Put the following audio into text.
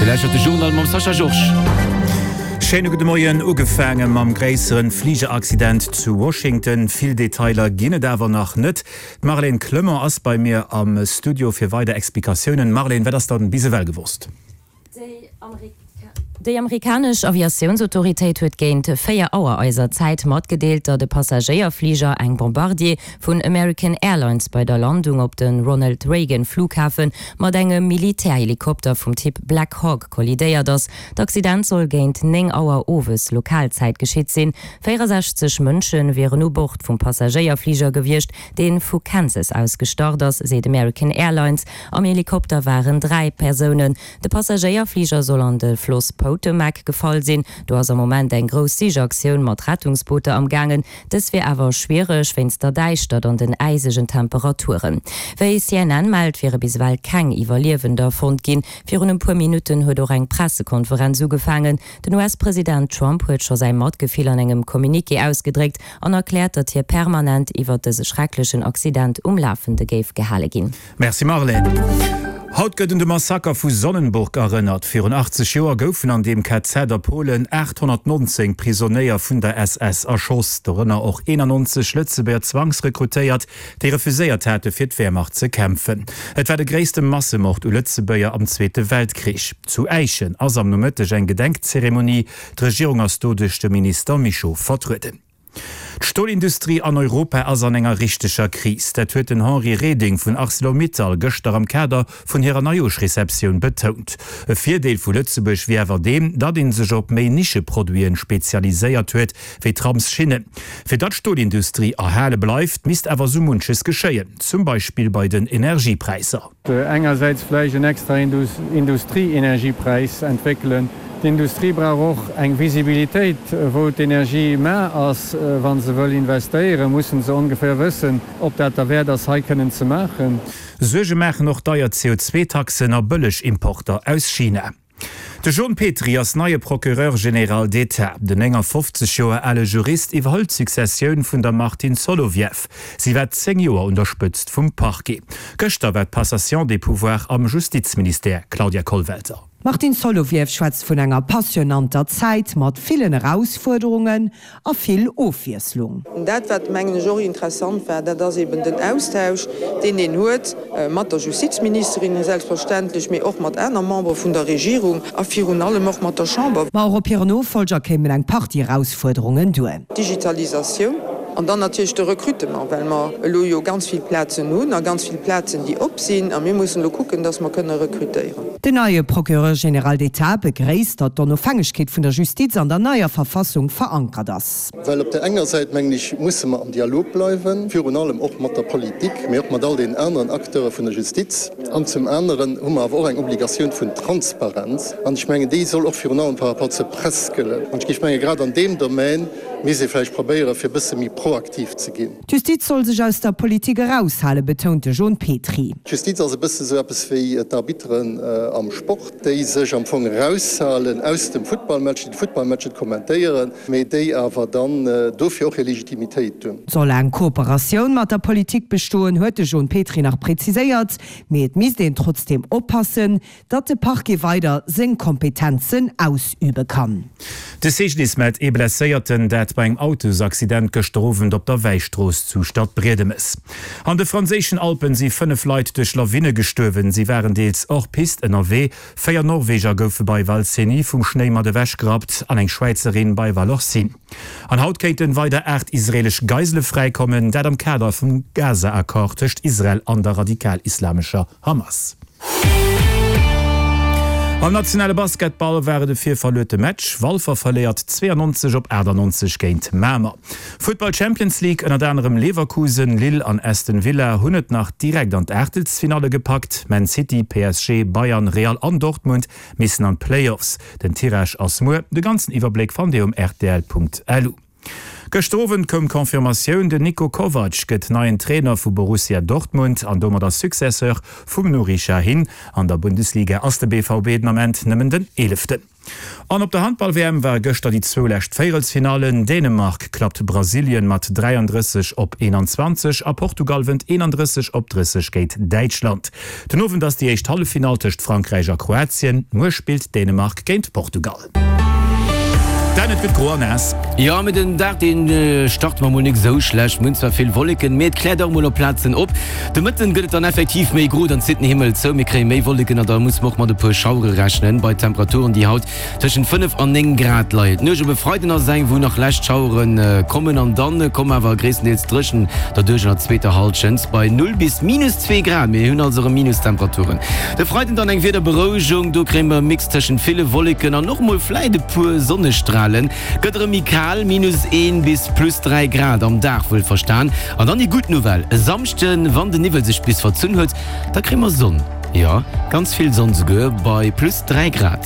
Dir lauschtert de Journal mam Sascha Georges. Schéine gudde Moien. Ugefaange mam gréisseren Fligeraccident zu Washington. Vill Detailer ginn et awer nach net. D'Marlène Clement ass bei mir am Studio fir weider Explikatiounen. Marlène, wat ass dann bis ewell gewosst? Déi amerikanesch Aviatiounsautoritéit huet géint 4 Auer eiser Zäit matgedeelt, datt e Passagéierfliger, eng Bombardier vun American Airlines, bei der Landung op de Ronald Reagan Flughafe mat engem Militärhelikopter vum Typ Black Hawk kollidéiert ass. D'Accident soll géint 9 Auer owes Lokalzäit geschitt sinn. 64 Mënsche wieren u Bord vum Passagéierfliger gewiescht, dee vu Kansas aus gestart ass, seet American Airlines. Am Helikopter waren 3 Persounen. De Passagéierfliger soll an de Floss Potomac gefall sinn. Do ass am Moment eng grouss Sichaktioun mat Rettungsbooter am gaangen. Dës wier awer schwiereg wéinst der Däischtert an den äisegen Temperaturen. Wéi CNN mellt, wiere bis ewell keng Iwwerliewender fonnt ginn. Virun e puer Minutten huet och eng Pressekonferenz ugefaangen. Den US-President Trump huet scho säi Matgefill an engem Communiqué ausgedréckt an erkläert, datt hie permanent iwwert dëse schrecklechen Accident um Lafende géif gehale ginn. Merci Marlène. Haut gëtt un de Massaker vu Sonnenburg erënnert. Virun 80 Joer goufen an deem KZ a Polen 819 Prisonéier vun der SS erschoss, dorënner och 91 Lëtzebuerger Zwangsrekrutéiert, déi refuséiert hate fir d'Wehrmacht ze kämpfen. Et war de gréisste Massemord u Lëtzebuerger am Zweete Weltkrich. Zu Äischen ass am Nomëtteg eng Gedenkzeremonie. D'Regierung ass do duerch de Minister Mischo vertrueden. D'Stolindustrie an Europa ass an enger richteger Kris. Dat huet den Henri Reding vun Arcelor-Mittal gëschter am Kader vun hirer Neijooschreceptioun betount. E Virdeel vu Lëtzebuerg wier awer deen, datt ee sech op méi Nischeproduiten spezialiséiert huet, wéi Tramsschinnen. Fir datt d'Stolindustrie erhale bleift, misst awer sou munches geschéien, zum Beispill bei den Energiepräisser. Engersäits vläicht en extra Industrieenergiepräis entwéckelen. D'Industrie brauch och eng Visibilitéit, wou d'Energie mar ass. Wa se wëll investéieren, musse se ongeféier wëssen, ob dat derwäert ass, hei kënnen ze maachen. Suerge maachen och deier CO2-Taxen a bëlleg Importer aus China. De Jon Petry ass neie Procureur général d'État. Den 59 Joer ale Jurist iwwerhëlt d'Successioun vun der Martine Solovieff. Si war 10 Joer un der Spëtzt vum Parquet. Gëschter war d'Passation des pouvoirs am Justizministère, Claudia Kollwelter. D'Martine Solovieff schwätzt vun enger passionanter Zäit mat villen Erausfuerderungen A vill Ofwiesslung. Dat, wat, mengen ech, och interessant war, dat ass eben den Austausch, deen een huet mat der Justizministerin selbstverständlech, mee och mat aner Membere vun der Regierung a virun allem och mat der Chamber. Ma och op hiren Nofollger kéimen eng Partie Erausfuerderungen duer. D'Digitalisatioun an dann natierlech de Recrutement, well mer elo jo ganz vill Plazen hunn a ganz vill Plazen, déi op sinn, a mir mussen elo kucken, dass mer kënne rekrutéieren. Den neie Procureur général d'État begréisst, datt d'Onofhängegkeet vun der Justiz an der neier Verfassung verankert ass. Well op där enger Säit, mengen ech, musse mer am Dialog bleiwen, virun allem och mat der Politik, mee och mat all deenen aneren Acteure vun der Justiz. An zum aneren hu mer awer och eng Obligatioun vun Transparenz. An ech mengen, déi soll och virun allem par rapport zur Press gëllen. An ech géif mengen, grad an deem Domän misst ee vläicht probéieren, fir e bësse méi proaktiv ze ginn. D'Justiz soll sech aus der Politik eraushalen, betount de Jon Petry. D'Justiz ass e bësse sou eppes wéi d'Arbitteren am Sport, déi sech am Fong eraushalen aus dem Futtballmatch, déi de Futtballmatch net kommentéieren, mee déi awer dann dofir och hir Legitimitéit hunn. Soll eng Kooperatioun mat der Politik bestoen, huet de Jon Petry nach präziséiert, mee et misst een trotzdeem oppassen, Datt de Parquet weider seng Kompetenzen ausübe kann. De CGDIS mellt ee Blesséierten, dat bei engem Autosaccident gëschter Owend op der Wäistrooss zu Stadbriedemes. An de franséischen Alpen si 5 Leit duerch Lawine gestuerwen. Si waren deels hors piste ënnerwee. 4 Norweger goufe bei Val Cenis vum Schnéi mat ewech gerappt an eng Schwäizerin bei Vallorcine. An haut kéinten weider 8 israelesch Geisele fräikommen, dat am Kader vum Gaza-Accord tëscht Israel an der radikal-islamescher Hamas. Am nationale Basketball war et e virverluerte Match. Walfer verléiert 92 op 98 géint Mamer. Futtball Champions League, Ënnert anerem Leverkusen, Lille an Aston Villa hunn et nach direkt an d'Aachtelsfinalle gepackt. Man City, PSG, Bayern, Real an Dortmund missen an d'Playoffs. Den Tirage ass muer. De ganzen Iwwerbléck fannt Dir um rtl.lu. Gëschter Owend koum d'Confirmatioun, Den Niko Kovac gëtt neien Trainer vu Borussia Dortmund an domadder Successeur vum Nuri Sahin. An der Bundesliga ass de BVB den Ament nëmmen den Eeleften. An op der Handball-WM ware gëschter déi zwou lescht Véierelsfinallen. Dänemark klappt Brasilien mat 33 op 21 a Portugal wënnt 31 op 30 géint Däitschland. Den Owend ass déi éischt Halleffinall tëscht Frankräich a Kroatien. Muer spillt Dänemark géint Portugal. Dan, et gëtt gro a naass. Jo, mee den Dag deen start mer mol nik esou schlecht. Mir hunn zwar vill Wolleken, mee et kläert och mol op Plazen op. De Mëtten gëtt et dann effektiv méi gro, dann zitt den Himmel zou, mir kréie méi Wolleken an da musse mer och mat e puer Schauere rechnen, bei Temperaturen déi haut tëschent 5 an 9 Grad leien. D'Nuecht op e Freiden ass eng, wou nach lescht Schauere kommen an dann kommen awer gréisstendeels dréchen derduerch an der zweeter Hallschent bei 0 bis minus 2 Grad. Mir hunn also erëm Minustemperaturen. De Freiden dann eng Wiederberouegung, do kréie mer e Mix tëschent ville Wolleken an och mol vläit e puer Sonnestralen. Gëtt erëm méi kal, minus 1 bis plus 3 Grad am Dag wuelverstan. An dann déi gutt Nouvelle, e Samschden, wann de Niwwel sech bis verzunn huet, da kréie mer Sonn, jo ganz vill Sonn souguer, bei plus 3 Grad.